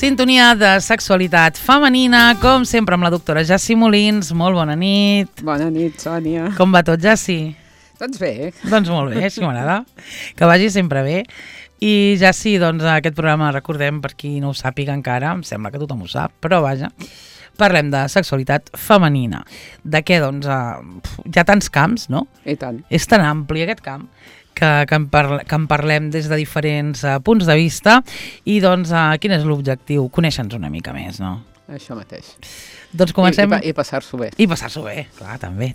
Sintonia de sexualitat femenina, com sempre amb la doctora Jassi Molins. Molt bona nit. Bona nit, Sònia. Com va tot, Jassi? Doncs bé. Doncs molt bé, així m'agrada. Que vagi sempre bé. I Jassi, doncs aquest programa, recordem, per qui no ho sàpiga encara, em sembla que tothom ho sap, però vaja, parlem de sexualitat femenina. De què, doncs, hi ha tants camps, no? I tant. És tan ampli aquest camp que en parlem des de diferents punts de vista i doncs quin és l'objectiu? Conèixer-nos una mica més, no? Això mateix. Doncs comencem... I passar-s'ho bé. I passar-s'ho bé, clar, també.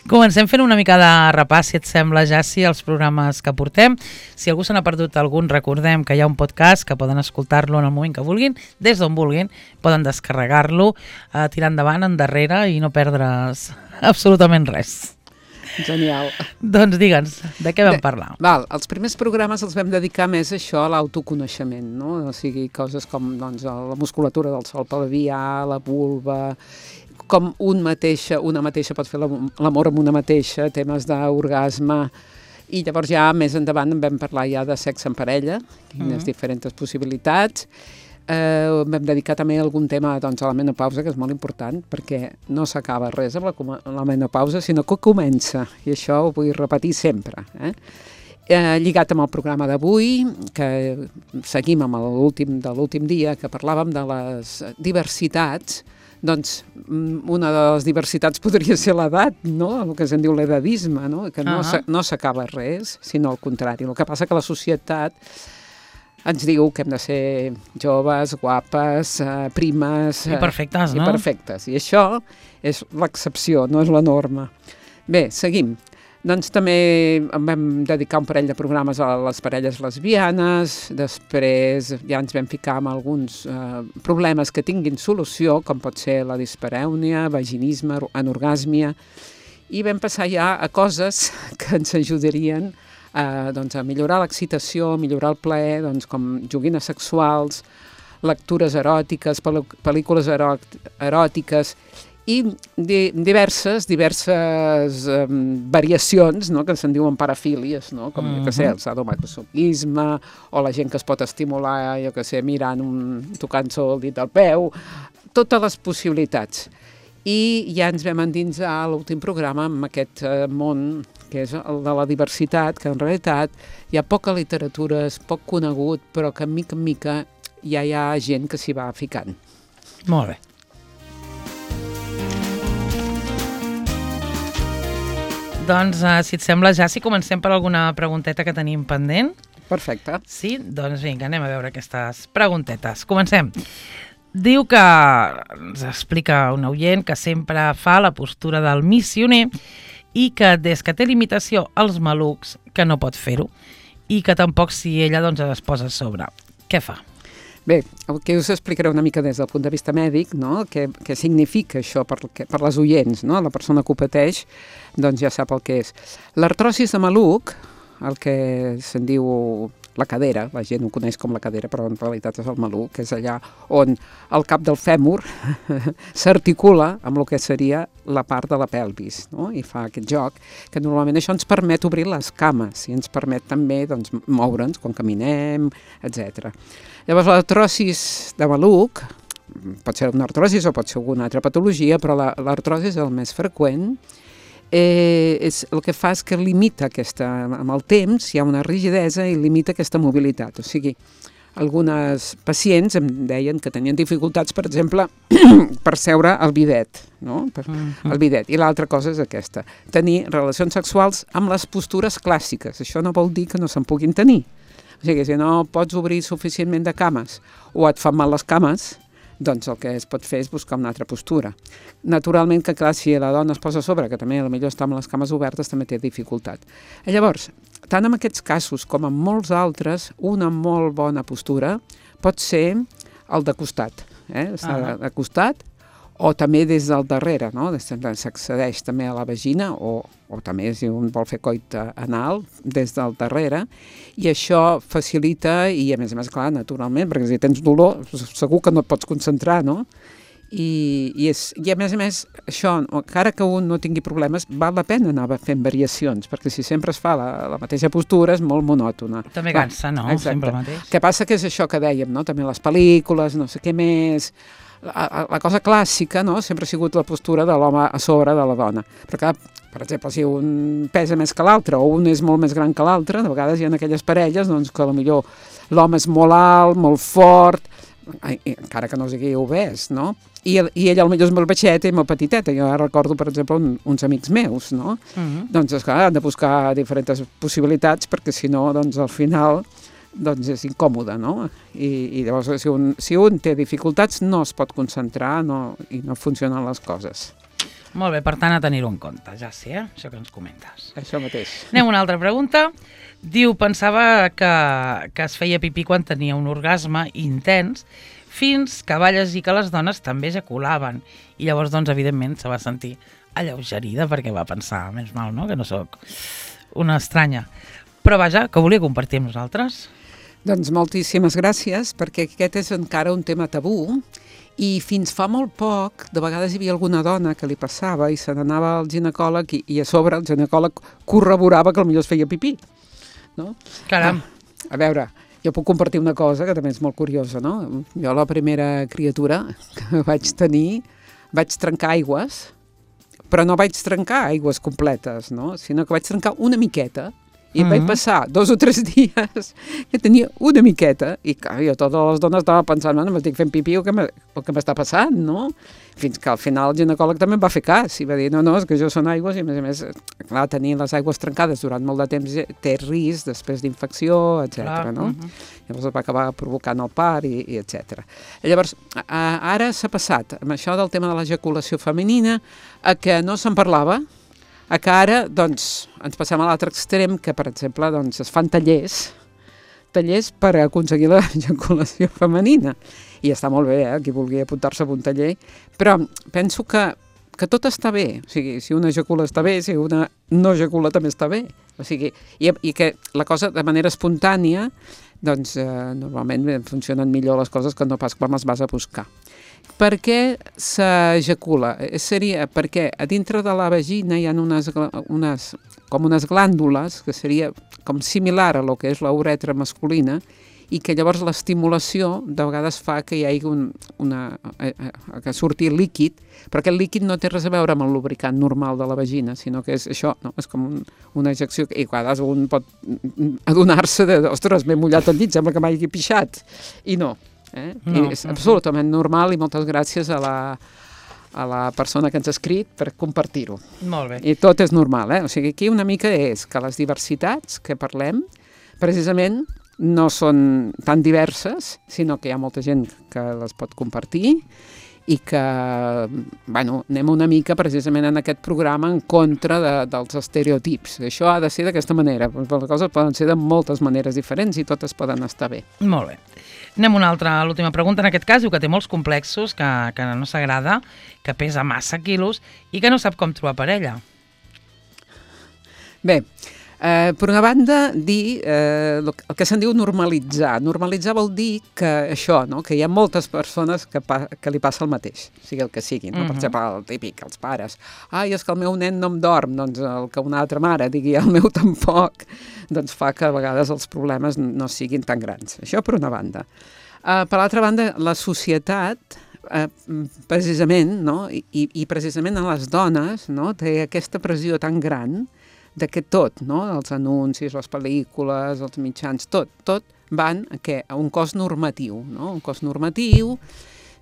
Comencem fent una mica de repàs, si et sembla, Jassi, els programes que portem. Si algú se n'ha perdut algun, recordem que hi ha un podcast que poden escoltar-lo en el moment que vulguin, des d'on vulguin, poden descarregar-lo, tirar endavant, endarrere i no perdre's absolutament res. Genial. Doncs digue'ns, de què vam parlar? Els primers programes els vam dedicar més a això, a l'autoconeixement, no? O sigui, coses com doncs, la musculatura del sol pelvià, la vulva, com una mateixa pot fer l'amor amb una mateixa, temes d'orgasme, i llavors ja més endavant en vam parlar ja de sexe en parella, quines diferents possibilitats. Vam dedicar també algun tema doncs, a la menopausa, que és molt important, perquè no s'acaba res amb la menopausa, sinó que comença, i això ho vull repetir sempre. Lligat amb el programa d'avui, que seguim amb l'últim dia, que parlàvem de les diversitats, doncs una de les diversitats podria ser l'edat, no? El que se'n diu l'edadisme, no? Que no s'acaba res, sinó al contrari. El que passa que la societat ens diu que hem de ser joves, guapes, primes... I perfectes, no? I perfectes. I això és l'excepció, no és la norma. Bé, seguim. Doncs també vam dedicar un parell de programes a les parelles lesbianes, després ja ens vam ficar amb alguns problemes que tinguin solució, com pot ser la disparèunia, vaginisme, anorgàsmia, i vam passar ja a coses que ens ajudarien doncs, a millorar l'excitació, a millorar el plaer, doncs, com joguines sexuals, lectures eròtiques, pel·lícules eròtiques i diverses variacions, no?, que se'n diuen parafílies, no?, com el sadomasoquisme o la gent que es pot estimular, mirant, tocant-se el dit al peu, totes les possibilitats. I ja ens vam endinsar a l'últim programa amb aquest món que és el de la diversitat, que en realitat hi ha poca literatura, és poc conegut, però que mica en mica ja hi ha gent que s'hi va ficant. Molt bé. Doncs, si et sembla, ja, si comencem per alguna pregunteta que tenim pendent. Perfecte. Sí? Doncs vinga, anem a veure aquestes preguntetes. Comencem. Diu que ens explica un oient que sempre fa la postura del missioner i que des que té limitació als malucs que no pot fer-ho i que tampoc si ella doncs es posa a sobre. Què fa? Bé, el que us explicaré una mica des del punt de vista mèdic, no? Què significa això per les oients, no? La persona que ho pateix doncs ja sap el que és. L'artrosis de maluc, el que se'n diu la cadera, la gent ho coneix com la cadera, però en realitat és el maluc, que és allà on el cap del fèmur s'articula amb el que seria la part de la pelvis, no? I fa aquest joc, que normalment això ens permet obrir les cames i ens permet també doncs, moure'ns quan caminem, etc. Llavors l'artrosis de maluc, pot ser una artrosis o pot ser alguna altra patologia, però l'artrosis és el més freqüent. El que fa és que limita amb el temps, hi ha una rigidesa i limita aquesta mobilitat. O sigui, algunes pacients em deien que tenien dificultats, per exemple, per seure al bidet, no? El bidet. I l'altra cosa és aquesta, tenir relacions sexuals amb les postures clàssiques. Això no vol dir que no se'n puguin tenir. O sigui, si no pots obrir suficientment de cames o et fan mal les cames, doncs el que es pot fer és buscar una altra postura. Naturalment que, clar, si la dona es posa a sobre, que també potser està amb les cames obertes, també té dificultat. Llavors, tant en aquests casos com en molts altres, una molt bona postura pot ser el de costat. Està de costat o també des del darrere, no? S'accedeix també a la vagina o també si un vol fer coit anal des del darrere i això facilita i a més, clar, naturalment, perquè si tens dolor segur que no et pots concentrar, no? I a més, això, encara que un no tingui problemes, val la pena anar fent variacions, perquè si sempre es fa la mateixa postura és molt monòtona. També cansa, no? Exacte. Sempre el mateix. Què passa que és això que dèiem, no? També les pel·lícules, no sé què més... La cosa clàssica, no?, sempre ha sigut la postura de l'home a sobre de la dona. Però clar, per exemple, si un pesa més que l'altre o un és molt més gran que l'altre, de vegades hi ha aquelles parelles doncs, que potser l'home és molt alt, molt fort, encara que no sigui obès, no? I ell potser és molt baixeta i molt petiteta. Jo recordo, per exemple, uns amics meus, no? Doncs, esclar, han de buscar diferents possibilitats perquè si no, doncs, al final... doncs és incòmode, no? I llavors, si un té dificultats, no es pot concentrar i no funcionen les coses. Molt bé, per tant, a tenir-ho en compte, ja sé, això que ens comentes. Això mateix. Anem a una altra pregunta. Diu, pensava que es feia pipí quan tenia un orgasme intens, fins que va llegir que les dones també ejaculaven. I llavors, doncs, evidentment, se va sentir alleugerida perquè va pensar, menys mal, no?, que no sóc una estranya. Però vaja, que volia compartir amb nosaltres. Doncs moltíssimes gràcies, perquè aquest és encara un tema tabú i fins fa molt poc, de vegades hi havia alguna dona que li passava i se n'anava al ginecòleg i a sobre el ginecòleg corroborava que potser es feia pipí. No? Caram. A veure, jo puc compartir una cosa que també és molt curiosa, no? Jo la primera criatura que vaig tenir, vaig trencar aigües, però no vaig trencar aigües completes, no? Sinó que vaig trencar una miqueta. I vaig passar 2 o 3 dies que tenia una miqueta i clar, jo totes les dones estava pensant, no, m'estic fent pipí o què m'està passant, no? Fins que al final el ginecòleg també em va fer cas i va dir, no, és que això són aigües i a més, clar, tenir les aigües trencades durant molt de temps té risc després d'infecció, etc. No? Llavors es va acabar provocant el part i etc. Llavors, ara s'ha passat amb això del tema de l'ejaculació femenina a que no se'n parlava, a que ara, doncs, ens passem a l'altre extrem, que, per exemple, doncs, es fan tallers per aconseguir l'ejaculació femenina. I està molt bé, qui vulgui apuntar-se a un taller, però penso que tot està bé. O sigui, si una ejacula està bé, si una no ejacula també està bé. O sigui, i que la cosa, de manera espontània, doncs, normalment funcionen millor les coses que no pas quan les vas a buscar. Per què s'ejacula? Seria perquè a dintre de la vagina hi ha unes glàndules que seria com similar a lo que és la uretra masculina i que llavors l'estimulació de vegades fa que hi hagi que surti líquid, però aquest líquid no té res a veure amb el lubricant normal de la vagina, sinó que és això, no? És com una ejecció i a vegades un pot adonar-se de, ostres, m'he mullat el llit, sembla que m'hagi pixat, i no. No. És absolutament normal i moltes gràcies a la persona que ens ha escrit per compartir-ho. Molt bé. I tot és normal, O sigui, aquí una mica és que les diversitats que parlem, precisament, no són tan diverses, sinó que hi ha molta gent que les pot compartir i que, bueno, anem una mica precisament en aquest programa en contra dels estereotips. Això ha de ser d'aquesta manera, però les coses poden ser de moltes maneres diferents i totes poden estar bé. Molt bé. Anem a una altra, l'última pregunta. En aquest cas diu que té molts complexos, que no s'agrada, que pesa massa quilos i que no sap com trobar parella. Bé, per una banda, dir el que se'n diu normalitzar. Normalitzar vol dir que això, no? Que hi ha moltes persones que li passa el mateix, sigui el que sigui. No? Per exemple, el típic, els pares. Ai, és que el meu nen no em dorm, doncs el que una altra mare digui el meu tampoc, doncs fa que a vegades els problemes no siguin tan grans. Això per una banda. Per l'altra banda, la societat, precisament, no? I precisament a les dones, no? Té aquesta pressió tan gran de que tot, no? Els anuncis, les pel·lícules, els mitjans, tot van a un cos normatiu, no? Un cos normatiu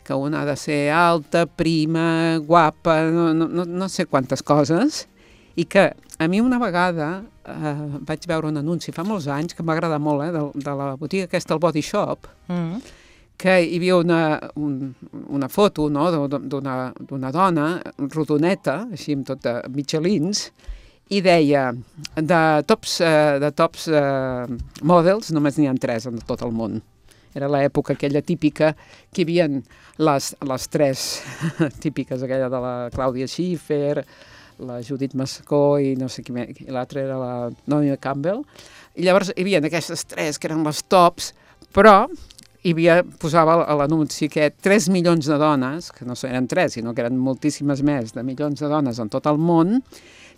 que una ha de ser alta, prima, guapa, no sé quantes coses, i que a mi una vegada vaig veure un anunci fa molts anys que em va agradar molt, de la botiga aquesta, el Body Shop, que hi havia una foto, no? d'una dona rodoneta, així amb tot de mitjalins, i deia, de tops models, només n'hi ha 3 en tot el món. Era l'època aquella típica que hi havia les 3 típiques, aquella de la Clàudia Schiffer, la Judith Mascó i no sé qui més, i l'altra era la Naomi Campbell. I llavors hi havia aquestes 3 que eren les tops, però posava a l'anunci que 3 milions de dones, que no eren 3, sinó que eren moltíssimes més de milions de dones en tot el món,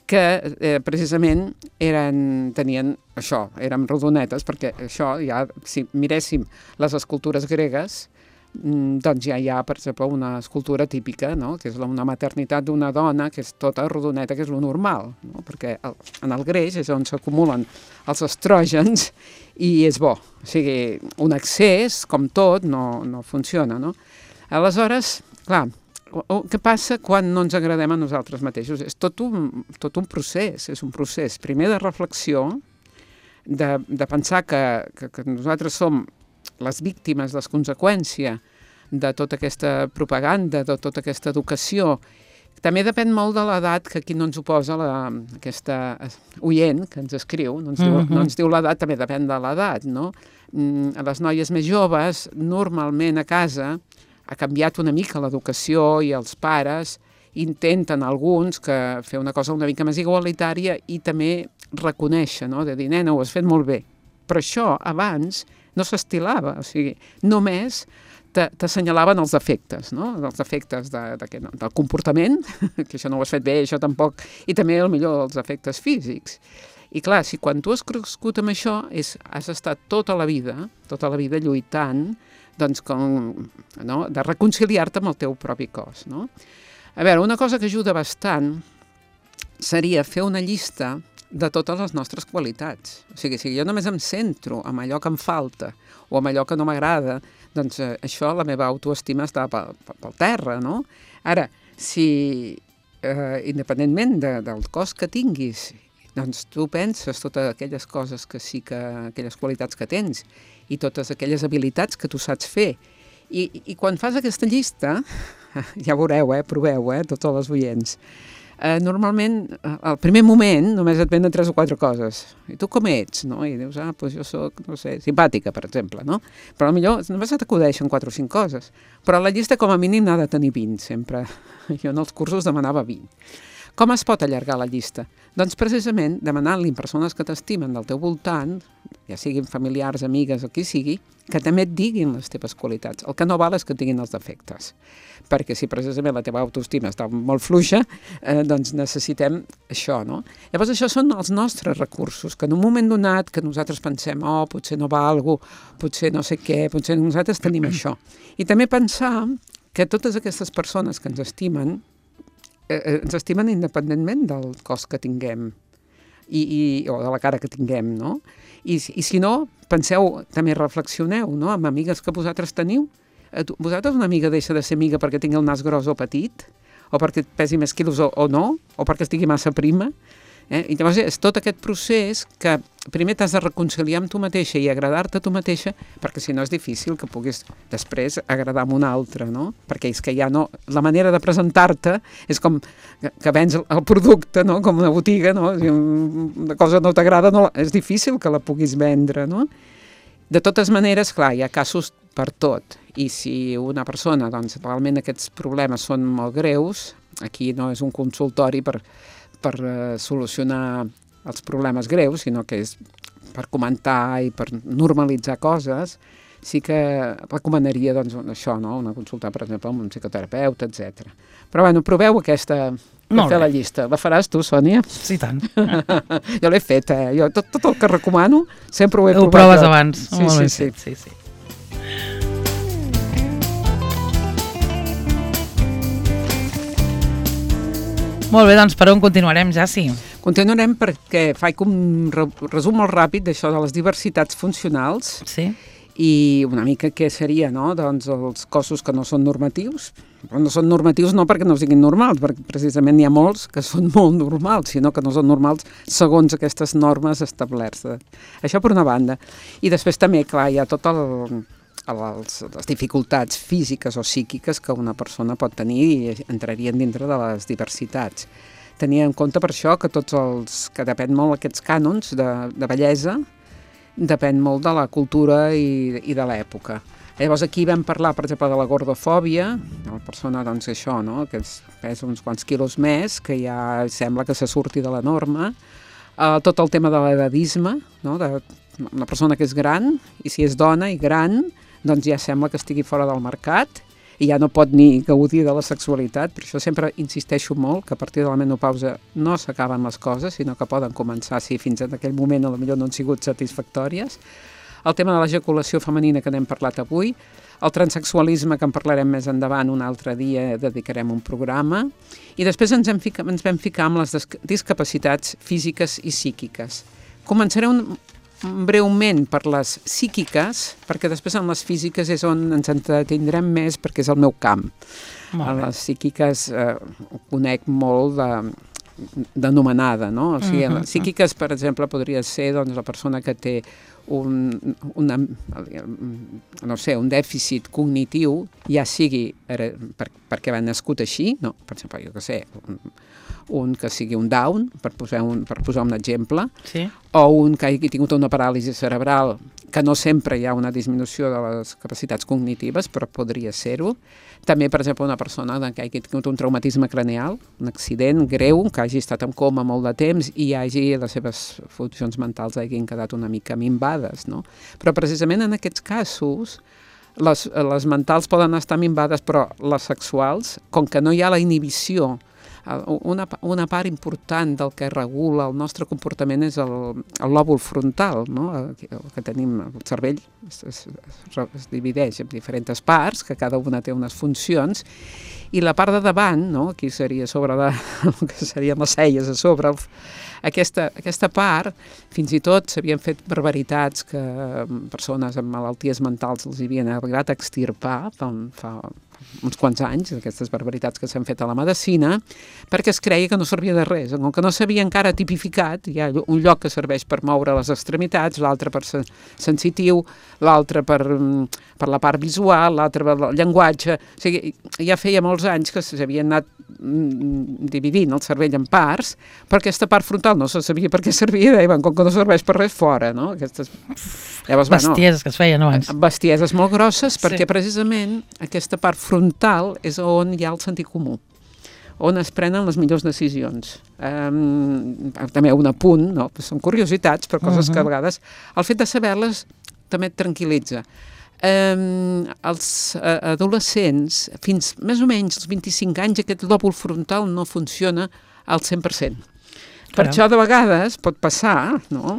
que precisament tenien això, eren rodonetes, perquè això ja, si miréssim les escultures gregues, doncs ja hi ha, per exemple, una escultura típica, no? Que és una maternitat d'una dona, que és tota rodoneta, que és lo normal, no? Perquè en el greix és on s'acumulen els estrògens i és bo. O sigui, un excés, com tot, no funciona, no? Aleshores, clar, què passa quan no ens agradem a nosaltres mateixos? És tot un procés, és un procés, primer de reflexió, de pensar que nosaltres som les víctimes, les conseqüències de tota aquesta propaganda, de tota aquesta educació. També depèn molt de l'edat que aquí no ens ho posa aquesta oient que ens escriu, no ens diu l'edat, també depèn de l'edat, no? A les noies més joves, normalment a casa, ha canviat una mica l'educació i els pares intenten alguns fer una cosa una mica més igualitària i també reconèixer, no? De dir, nena, ho has fet molt bé. Però això abans no s'estilava, o sigui, només t'assenyalaven els defectes, no? Els defectes del comportament, que això no ho has fet bé, això tampoc, i també, millor, els efectes físics. I clar, si quan tu has crescut amb això, has estat tota la vida lluitant, doncs, de reconciliar-te amb el teu propi cos, no? A veure, una cosa que ajuda bastant seria fer una llista de totes les nostres qualitats. O sigui, si jo només em centro en allò que em falta o en allò que no m'agrada, doncs això, la meva autoestima està pel terra, no? Ara, si independentment del cos que tinguis, doncs tu penses totes aquelles coses aquelles qualitats que tens i totes aquelles habilitats que tu saps fer. I quan fas aquesta llista, ja veureu, proveu, tots els oients, normalment, al primer moment, només et venen 3 o 4 coses. I tu com ets, no? I dius, doncs jo soc, no sé, simpàtica, per exemple, no? Però potser només t'acudeixen 4 o 5 coses. Però la llista, com a mínim, n'ha de tenir 20, sempre. Jo en els cursos demanava 20. Com es pot allargar la llista? Doncs precisament demanant-li a persones que t'estimen del teu voltant, ja siguin familiars, amigues o qui sigui, que també et diguin les teves qualitats. El que no val és que et diguin els defectes, perquè si precisament la teva autoestima està molt fluixa, doncs necessitem això, no? Llavors això són els nostres recursos, que en un moment donat que nosaltres pensem, potser no valgo, potser no sé què, potser nosaltres tenim això. I també pensar que totes aquestes persones que ens estimen independentment del cos que tinguem o de la cara que tinguem, no? I si no, penseu, també reflexioneu, no? Amb amigues que vosaltres teniu. Vosaltres una amiga deixa de ser amiga perquè tingui el nas gros o petit, o perquè pesi més quilos o no, o perquè estigui massa prima. I llavors és tot aquest procés que primer t'has de reconciliar amb tu mateixa i agradar-te a tu mateixa, perquè si no és difícil que puguis després agradar a un altre, no? Perquè és que ja no... La manera de presentar-te és com que vens el producte, no? Com una botiga, no? Si una cosa no t'agrada, és difícil que la puguis vendre, no? De totes maneres, clar, hi ha casos per tot. I si una persona, doncs, realment aquests problemes són molt greus, aquí no és un consultori per solucionar els problemes greus, sinó que és per comentar i per normalitzar coses, sí que recomanaria doncs, això, no? Una consulta, per exemple, amb un psicoterapeuta, etc. Però bueno, proveu aquesta per fer la llista. La faràs tu, Sònia? Sí, tant. Jo l'he fet, Jo tot el que recomano sempre ho he provat. Ho proves abans. Sí. Molt bé, doncs per on continuarem, Jaci? Continuarem perquè faig un resum molt ràpid d'això de les diversitats funcionals. Sí. I una mica què seria, no? Doncs els cossos que no són normatius. Però no són normatius no perquè no siguin normals, perquè precisament n'hi ha molts que són molt normals, sinó que no són normals segons aquestes normes establertes. Això per una banda. I després també, clar, hi ha tot les dificultats físiques o psíquiques que una persona pot tenir i entrarien dintre de les diversitats. Tenir en compte per això que que depèn molt aquests cànons de bellesa, depèn molt de la cultura i de l'època. Llavors aquí vam parlar, per exemple, de la gordofòbia, de la persona, doncs, això, no?, que pesa uns quants quilos més, que ja sembla que se surti de la norma, tot el tema de l'edadisme, no?, de una persona que és gran, i si és dona i gran, doncs ja sembla que estigui fora del mercat i ja no pot ni gaudir de la sexualitat. Per això sempre insisteixo molt que a partir de la menopausa no s'acaben les coses, sinó que poden començar, si fins a aquell moment potser no han sigut satisfactòries. El tema de l'ejaculació femenina que n'hem parlat avui, el transsexualisme, que en parlarem més endavant, un altre dia dedicarem un programa, i després ens vam ficar amb les discapacitats físiques i psíquiques. Començaré breument per les psíquiques, perquè després en les físiques és on ens entretindrem més, perquè és el meu camp. A les psíquiques ho conec molt d'anomenada, no? O sigui, les psíquiques, per exemple, podria ser doncs, la persona que té un dèficit cognitiu, ja sigui perquè va nascut així, no? Per exemple, jo què sé, un que sigui un Down, per posar un exemple, sí. O un que hagi tingut una paràlisi cerebral, que no sempre hi ha una disminució de les capacitats cognitives, però podria ser-ho. També, per exemple, una persona que hagi tingut un traumatisme craneal, un accident greu, que hagi estat en coma molt de temps i les seves funcions mentals hagin quedat una mica minvades, no? Però precisament en aquests casos les mentals poden estar minvades, però les sexuals, com que no hi ha la inhibició, una part important del que regula el nostre comportament és el lòbul frontal, no? El que tenim, el cervell es divideix en diferents parts, que cada una té unes funcions, i la part de davant, no? Aquí seria sobre el que serien les celles a sobre, aquesta part, fins i tot s'havien fet barbaritats que persones amb malalties mentals els havien arribat a extirpar fa uns quants anys, aquestes barbaritats que s'han fet a la medicina, perquè es creia que no servia de res. Com que no s'havia encara tipificat, hi ha un lloc que serveix per moure les extremitats, l'altre per sensitiu, l'altre per la part visual, l'altre per el llenguatge. O sigui, ja feia molts anys que s'havien anat dividint el cervell en parts, però aquesta part frontal no se sabia per què servia, i com que no serveix per res, fora, no? Bestieses que es feien abans. Bestieses molt grosses, perquè precisament aquesta part frontal és on hi ha el sentit comú, on es prenen les millors decisions. També un apunt, no? Són curiositats, però coses que a vegades el fet de saber-les també et tranquil·litza. Els adolescents, fins més o menys als 25 anys, aquest lòbul frontal no funciona al 100%. Per això, de vegades, pot passar, no?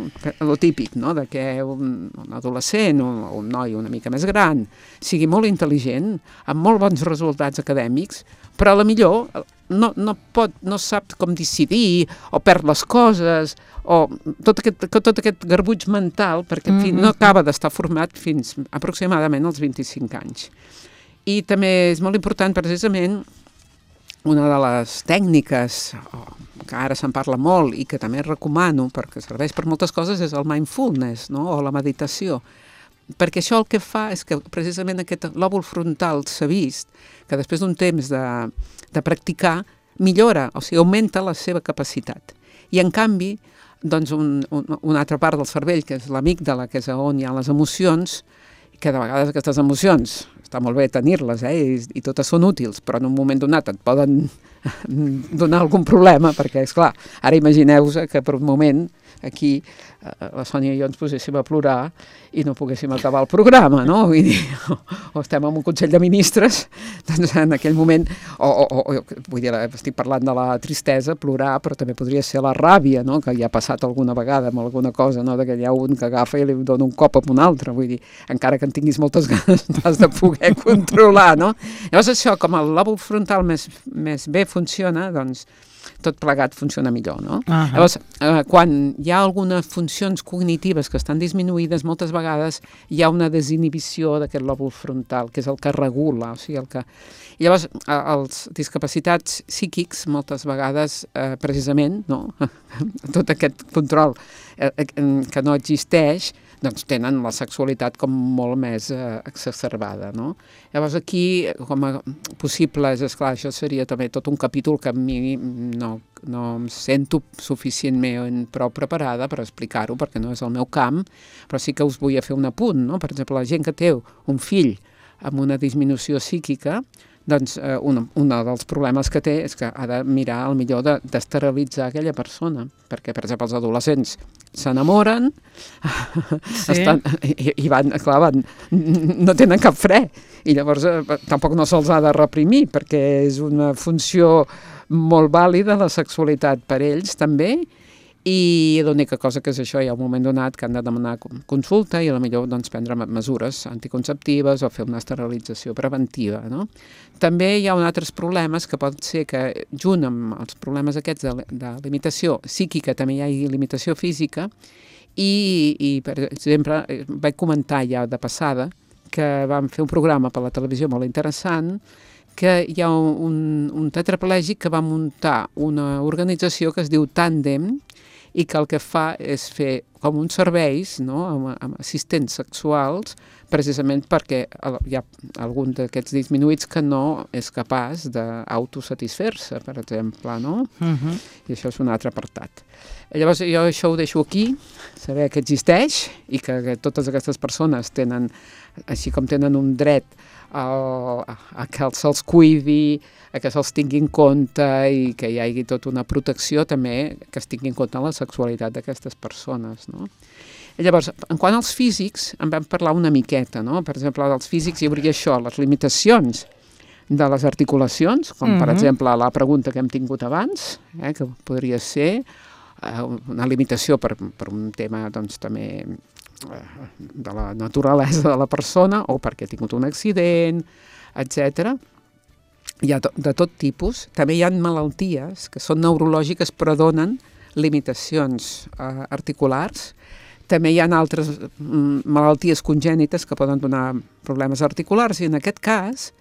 Lo típic, no? De que un adolescent o un noi una mica més gran sigui molt intel·ligent, amb molt bons resultats acadèmics, però potser no sap com decidir, o perd les coses, o tot aquest garbuig mental, perquè no acaba d'estar format fins aproximadament als 25 anys. I també és molt important, precisament, una de les tècniques que ara se'n parla molt i que també recomano perquè serveix per moltes coses és el mindfulness, no? O la meditació. Perquè això el que fa és que precisament aquest lòbul frontal s'ha vist que després d'un temps de practicar millora, o sigui, augmenta la seva capacitat. I en canvi, doncs una altra part del cervell, que és l'amígdala, que és on hi ha les emocions, que de vegades aquestes emocions està molt bé tenir-les, i totes són útils, però en un moment donat et poden donar algun problema, perquè, esclar, ara imagineu-vos que per un moment aquí la Sònia i jo ens poséssim a plorar i no poguéssim acabar el programa, no? Vull dir, o estem en un Consell de Ministres, doncs en aquell moment, vull dir, estic parlant de la tristesa, plorar, però també podria ser la ràbia, no? Que ja ha passat alguna vegada amb alguna cosa, no? De que hi ha un que agafa i li dona un cop amb un altre, vull dir, encara que en tinguis moltes ganes, t'has de poder controlar, no? Llavors això, com el lòbul frontal més bé funciona, doncs tot plegat funciona millor, no? Llavors, quan hi ha algunes funcions cognitives que estan disminuïdes, moltes vegades hi ha una desinhibició d'aquest lòbul frontal, que és el que regula, o sigui, el que... I llavors, els discapacitats psíquics, moltes vegades, precisament, no? Tot aquest control que no existeix, doncs tenen la sexualitat com molt més exacerbada, no? Llavors aquí, com a possibles, esclar, això seria també tot un capítol que a mi no em sento suficientment prou preparada per explicar-ho, perquè no és el meu camp, però sí que us vull fer un apunt, no? Per exemple, la gent que té un fill amb una disminució psíquica, doncs un dels problemes que té és que ha de mirar al millor d'esterilitzar aquella persona, perquè, per exemple, els adolescents s'enamoren i van, no tenen cap fre, i llavors tampoc no se'ls ha de reprimir, perquè és una funció molt vàlida la sexualitat per ells també, i l'única cosa que és això, hi ha un moment donat que han de demanar consulta i potser doncs, prendre mesures anticonceptives o fer una esterilització preventiva. No? També hi ha altres problemes que pot ser que, junt amb els problemes aquests de limitació psíquica, també hi ha limitació física, i per exemple, vaig comentar ja de passada que vam fer un programa per la televisió molt interessant, que hi ha un tetraplègic que va muntar una organització que es diu Tàndem, i que el que fa és fer com uns serveis, no?, amb assistents sexuals, precisament perquè hi ha algun d'aquests disminuïts que no és capaç d'autosatisfer-se, per exemple, no? I això és un altre apartat. Llavors, jo això ho deixo aquí, saber que existeix i que totes aquestes persones tenen, així com tenen un dret a que se'ls cuidi, a que se'ls tingui en compte i que hi hagi tota una protecció també que es tingui en compte la sexualitat d'aquestes persones, no? I llavors, en quant als físics, en vam parlar una miqueta, no? Per exemple, dels físics hi hauria això, les limitacions de les articulacions, com per exemple la pregunta que hem tingut abans, que podria ser una limitació per un tema doncs també de la naturalesa de la persona o perquè ha tingut un accident, etc. Hi ha de tot tipus. També hi ha malalties que són neurològiques però donen limitacions articulars. També hi ha altres malalties congènites que poden donar problemes articulars i en aquest cas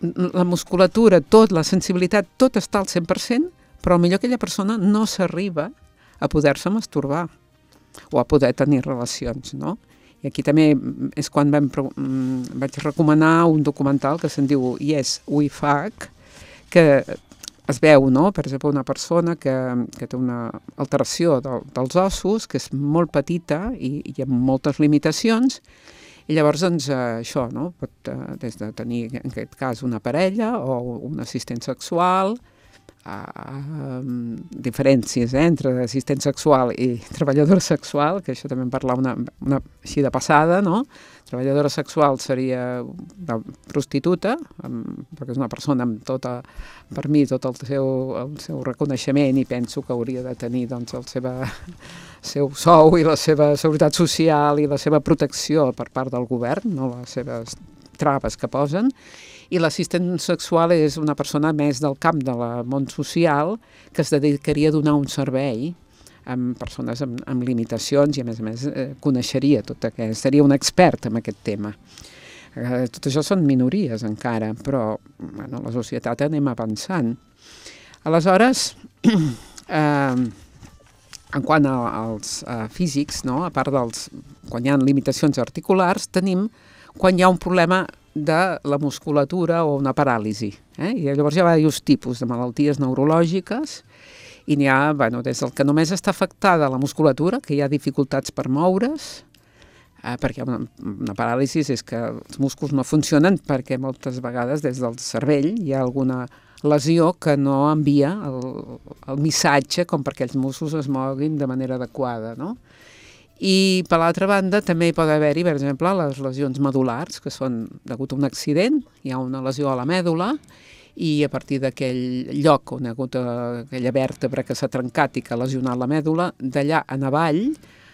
la musculatura, la sensibilitat, tot està al 100%, però potser aquella persona no s'arriba a poder-se masturbar o a poder tenir relacions, no? I aquí també és quan vaig recomanar un documental que se'n diu Yes, We Fuck, que es veu, no?, per exemple, una persona que té una alteració dels ossos, que és molt petita i amb moltes limitacions, i llavors, doncs, això, no?, pot des de tenir, en aquest cas, una parella o un assistent sexual, diferències entre assistent sexual i treballadora sexual, que això també en parlar una així de passada, no? Treballadora sexual seria una prostituta, perquè és una persona amb per mi, tot el seu reconeixement i penso que hauria de tenir doncs, el seu sou i la seva seguretat social i la seva protecció per part del govern, no les seves traves que posen. I l'assistent sexual és una persona més del camp del món social que es dedicaria a donar un servei amb persones amb limitacions i, a més, coneixeria seria un expert en aquest tema. Tot això són minories encara, però bueno, la societat anem avançant. Aleshores, en quant als físics, no? A part quan hi ha limitacions articulars, tenim quan hi ha un problema de la musculatura o una paràlisi. I llavors hi ha diversos tipus de malalties neurològiques i n'hi ha, des del que només està afectada la musculatura, que hi ha dificultats per moure's, perquè una paràlisi és que els músculs no funcionen perquè moltes vegades des del cervell hi ha alguna lesió que no envia el missatge com perquè els músculs es moguin de manera adequada, no? I, per l'altra banda, també hi pot haver-hi, per exemple, les lesions medul·lars, que són degut a un accident, hi ha una lesió a la mèdula, i a partir d'aquell lloc on hi ha hagut aquella vèrtebra que s'ha trencat i que ha lesionat la mèdula, d'allà en avall,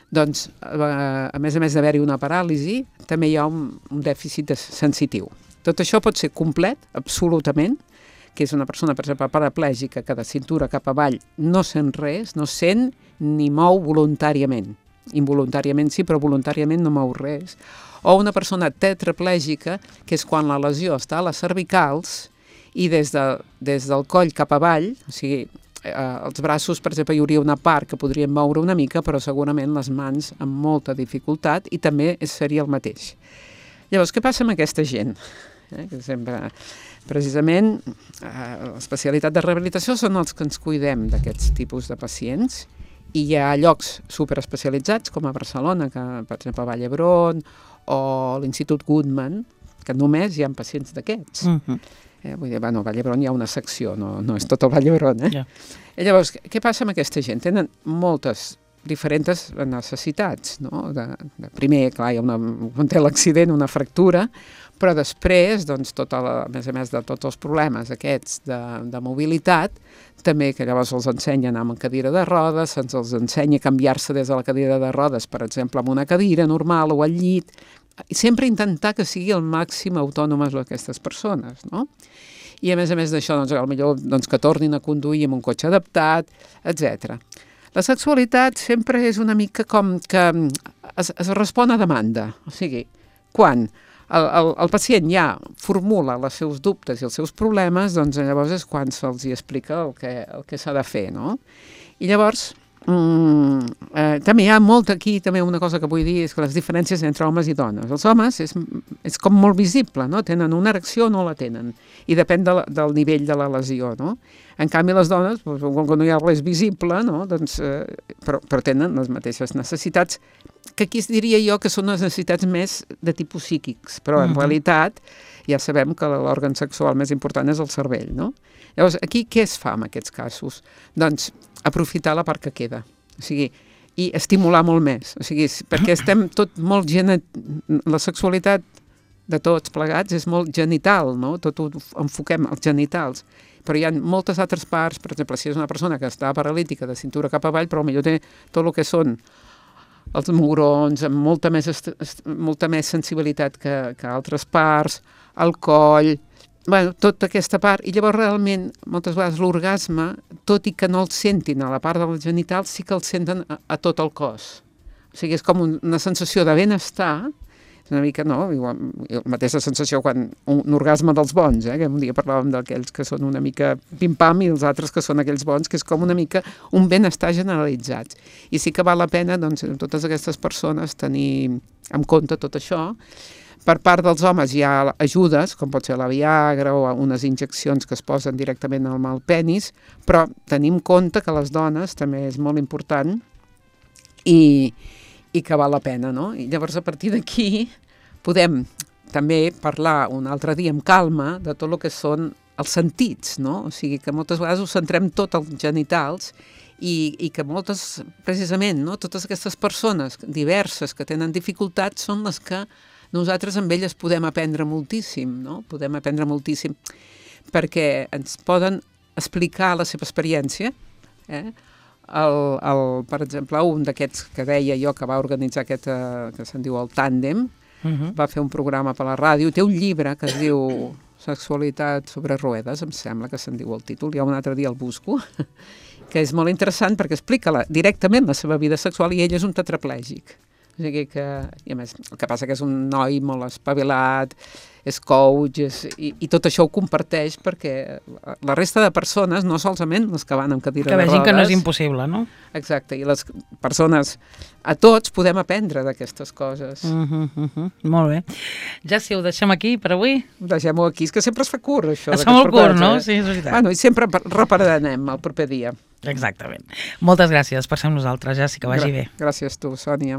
doncs, a més d'haver-hi una paràlisi, també hi ha un dèficit sensitiu. Tot això pot ser complet, absolutament, que és una persona, per exemple, paraplègica, que de cintura cap avall no sent res, no sent ni mou voluntàriament. Involuntàriament sí, però voluntàriament no mou res. O una persona tetraplègica, que és quan la lesió està a les cervicals i des del coll cap avall, o sigui, els braços, per exemple, hi hauria una part que podríem moure una mica, però segurament les mans amb molta dificultat i també seria el mateix. Llavors, què passa amb aquesta gent? Que sempre, precisament, l'especialitat de rehabilitació són els que ens cuidem d'aquests tipus de pacients. I hi ha llocs superespecialitzats, com a Barcelona, que, per exemple, a Vall d'Hebron, o l'Institut Guttmann, que només hi ha pacients d'aquests. Vull dir, bueno, a Vall d'Hebron hi ha una secció, no és tot el Vall d'Hebron, Ja. I llavors, què passa amb aquesta gent? Tenen moltes diferents necessitats, no? Primer, clar, hi ha quan té l'accident, una fractura, però després, doncs, a més a més de tots els problemes aquests de mobilitat, també que llavors els ensenya a anar amb cadira de rodes, se'ns els ensenya a canviar-se des de la cadira de rodes, per exemple, amb una cadira normal o al llit, i sempre intentar que sigui el màxim autònomes aquestes persones, no? I a més d'això, doncs, potser que tornin a conduir amb un cotxe adaptat, etc. La sexualitat sempre és una mica com que es respon a demanda, o sigui, quan el pacient ja formula els seus dubtes i els seus problemes, doncs llavors és quan se'ls explica el que s'ha de fer, no? I llavors, també hi ha aquí també una cosa que vull dir, és que les diferències entre homes i dones. Els homes és com molt visible, no? Tenen una erecció o no la tenen, i depèn del nivell de la lesió, no? En canvi, les dones, quan no hi ha res visible, no? Doncs, però tenen les mateixes necessitats, que aquí diria jo que són les necessitats més de tipus psíquics, però en realitat ja sabem que l'òrgan sexual més important és el cervell, no? Llavors, aquí què es fa en aquests casos? Doncs aprofitar la part que queda, o sigui, i estimular molt més, o sigui, perquè estem tot molt la sexualitat de tots plegats és molt genital, no? Tot ho enfoquem als genitals, però hi ha moltes altres parts, per exemple, si és una persona que està paralítica de cintura cap avall, però potser té tot el que són els mugrons, amb molta més sensibilitat que altres parts, el coll, tota aquesta part, i llavors realment moltes vegades l'orgasme, tot i que no el sentin a la part dels genitals, sí que el senten a tot el cos. O sigui, és com una sensació de benestar, és una mica, no? La mateixa sensació quan un orgasme dels bons, que un dia parlàvem d'aquells que són una mica pim-pam i els altres que són aquells bons, que és com una mica un benestar generalitzat. I sí que val la pena, doncs, amb totes aquestes persones tenir en compte tot això. Per part dels homes hi ha ajudes, com pot ser la Viagra o unes injeccions que es posen directament al penis, però tenim en compte que les dones també és molt important i que val la pena, no? I llavors a partir d'aquí podem també parlar un altre dia amb calma de tot el que són els sentits, no? O sigui que moltes vegades ho centrem tot als genitals i que moltes, precisament, no? Totes aquestes persones diverses que tenen dificultats són les que nosaltres amb elles podem aprendre moltíssim, no? Podem aprendre moltíssim perquè ens poden explicar la seva experiència, per exemple, un d'aquests que deia jo que va organitzar aquest, que se'n diu el Tàndem, va fer un programa per la ràdio, té un llibre que es diu Sexualitat sobre roedes, em sembla que se'n diu el títol, ja un altre dia el busco, que és molt interessant perquè explica directament la seva vida sexual i ell és un tetraplègic. O sigui que, i a més, el que passa que és un noi molt espavilat, és coach, i tot això ho comparteix perquè la resta de persones, no solament les que van amb cadira de rodes... Que vegin que no és impossible, no? Exacte, i les persones, a tots podem aprendre d'aquestes coses. Molt bé. Ja si ho deixem aquí per avui? Ho deixem-ho aquí, és que sempre es fa curt, això. Es fa molt curt, no? Sí, és veritat. Bueno, i sempre repararem el proper dia. Exactament. Moltes gràcies per ser amb nosaltres, Jàssica, vagi bé. Gràcies tu, Sònia.